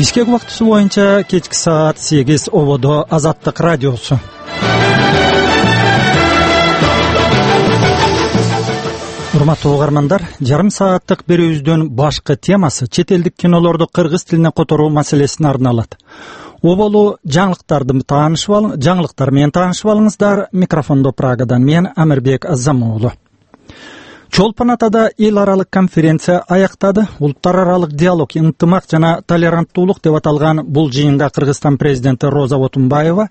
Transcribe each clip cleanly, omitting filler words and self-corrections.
Бишкек убактысы боюнча кечки саат 8 ободо Азаттык радиосу. Урматтуу угармандар, жарым сааттык берүүбүздүн башкы темасы чет элдик кинолорду кыргыз тилине которуу маселесине арналат. Оболу жаңылыктар менен таанышып алыңыздар. Микрофондо Прагадан мен Амирбек Азамуулу. Чолпон Атада эл аралык конференция аяктады. Улуттар аралык диалог, ынтымак жана толеранттуулук деп аталган бул жыйынга Кыргызстан президенти Роза Отунбаева,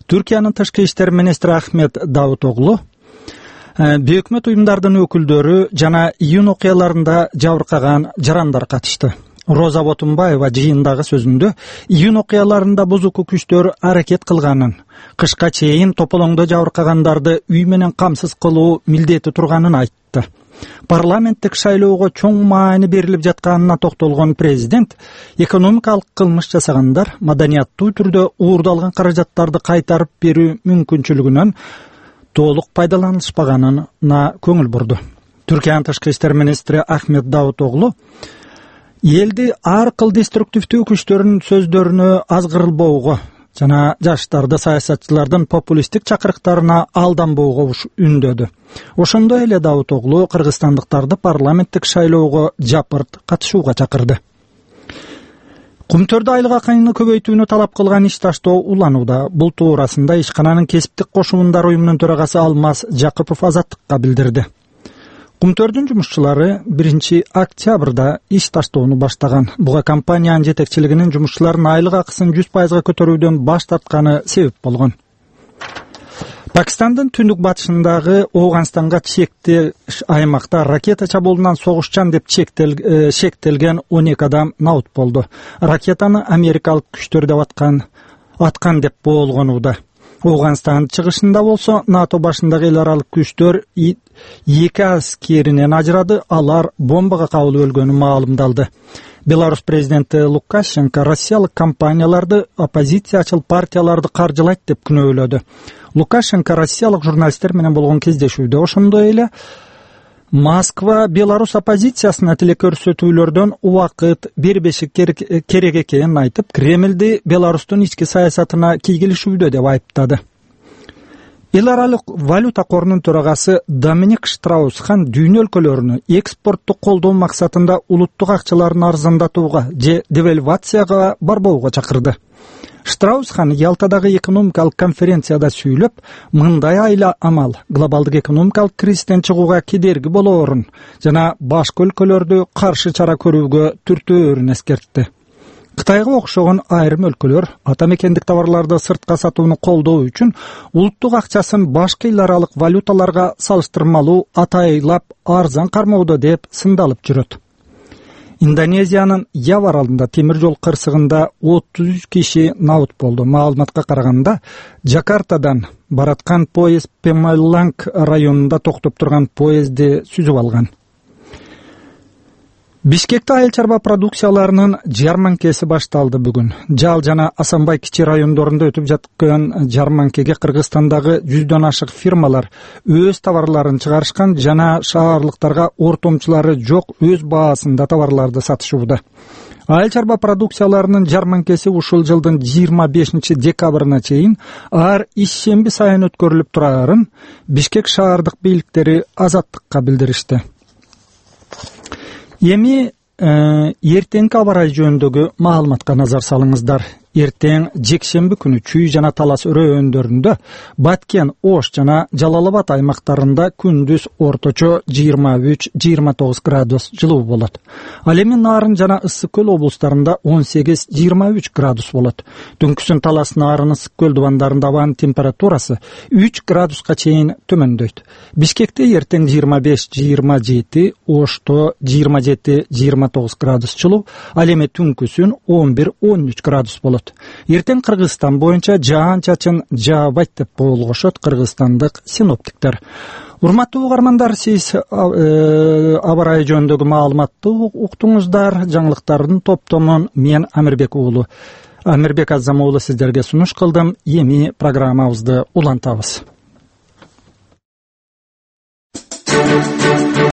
Түркиянын тышкы иштер министри Ахмет Давутоглу, бейөкмөт уюмдардын өкүлдөрү жана июнь окуяларында жабыркаган жарандар катышты. Роза Отунбаева жыйындагы сөзүндө июнь окуяларында бузуку күчтөр аракет кылганын, кышка чейин тополоңдо жабыркагандарды үй менен камсыз кылуу милдети турганын айтты. Парламенттик шайлоого чоң маани берилип жатканына токтолгон президент экономикалык кылмыш жасагандар маданияттуу түрдө уурдалган каражаттарды кайтарып берүү мүмкүнчүлүгүнөн толук пайдаланышпаганына көңүл бурду. Түркиянын тышкы иштер министри Ахмет Давутоглу элди ар кыл деструктивдүү күчтөрдүн сөздөрүнө азгырылбоого жана жаштарды саясатчылардын популисттик чакырыктарына алданбоого үндөдү. Ошондой эле Давутоглу кыргызстандыктарды парламенттик шайлоого жапырт катышууга чакырды. Кумтөрдө айлык акыны көбөйтүүнү талап кылган иш таштоо уланууда. Бул туурасында ишкананын кесиптик кошумундар уюмунун төрагасы Алмаз Жакыпов Азаттыкка билдирди. Кумтөрдүн жумушчулары 1 октябрда иш таштоону баштаган. Буга компаниянын жетекчилигинин жумушчулардын айлык акысын 100% көтөрүүдөн баш тартканы себеп болгон. Пакистандын түндүк батышындагы Ооганстанга чектеш аймакта ракета чабуулунан согушчан деп шектелген 12 адам набыт болду. Ракетаны америкалык күчтөр деп аткан деп боолгонууда. Ооганстандын чыгышында болсо НАТО башындагы эл аралык күчтөр 2 аскеринен ажырады, алар бомбага кабылып өлгөнү маалымдалды. Беларусь президенти Лукашенко россиялык компанияларды, оппозициячыл партияларды каржылайт деп күнөөлөдү. Лукашенко россиялык журналисттер менен болгон кездешүүдө ошондой эле Москва Беларусь оппозициясына тилек көрсөтүүлөрдөн убакыт бербеши керек экенин айтып, Кремлди Беларустун ички саясатына кийгилишүүдө деп айыптады. Эл аралык валюта корунун төрагасы Доминик Штраус-Хан дүйнө өлкөлөрүнө экспортту колдоо максатында улуттук акчаларын арзандатууга же девальвацияга барбоого чакырды. Штраус-Хан Ялтадагы экономикалык конференцияда сүйлөп, мындай айла амал глобалдык экономикалык кризистен чыгууга кедерги болоорун жана башка өлкөлөрдү каршы чара көрүүгө түртөөрүн эскертти. Кытайга окшогон айрым өлкөлөр ата мекендик товарларды сыртка сатууну колдоо үчүн улуттук акчасын башка эл аралык валюталарга салыштырмалуу атайлап арзан кармоодо деп сындалып жүрөт. Индонезиянын Ява аралында темир жол кырсыгында 33 киши набыт болду. Маалыматка караганда, Жакартадан бараткан поезд Пемаланг районунда токтоп турган поездди сүзүп алган. Бишкекте айыл чарба продукцияларынын жарманкеси башталды бүгүн. Жал жана Асанбай кичи райондорунда өтүп жаткан жарманкеге Кыргызстандагы 100дөн ашык фирмалар өз товарларын чыгарышкан жана шаарлыктарга ортомчулары жок өз баасында товарларды сатышууда. Айыл чарба продукцияларынын жарманкеси ушул жылдын 25 декабрына чейин ар ишемби сайын өткөрүлүп турарын Бишкек шаардык бийликтери Азаттыкка билдиришти. Эми эртеңки аба ырайы жөнүндөгү маалыматка назар салыңыздар. Эртең жекшемби күнү Чүй жана Талас өрөөндөр Баткен, Ош жана Жалал Абад аймактарында күндүз орточо 23-29 градус жылуу болот. Ал эми Нарын жана Ысык көл облустарында 18-23 градус болот. Түнкүсүн Талас, Нарын, Ысык көл дубандарында абанын температурасы 3 градуска чейин төмөндөйт. Бишкекте эртең 25-27, Ошто 27-29 градус жылуу, ал эми түнкүсүн 11-13 градус болот. Эртең Кыргызстан боюнча жаан-чачын жаабайт деп болгошот кыргызстандык синоптиктер. Урматтуу угармандар, сиз аба ырайы жөнүндөгү маалыматты уктуңуздар. Жаңылыктардын топтомун мен Амирбек Азамуулу сиздерге сунуш кылдым. Эми программабызды улантабыз.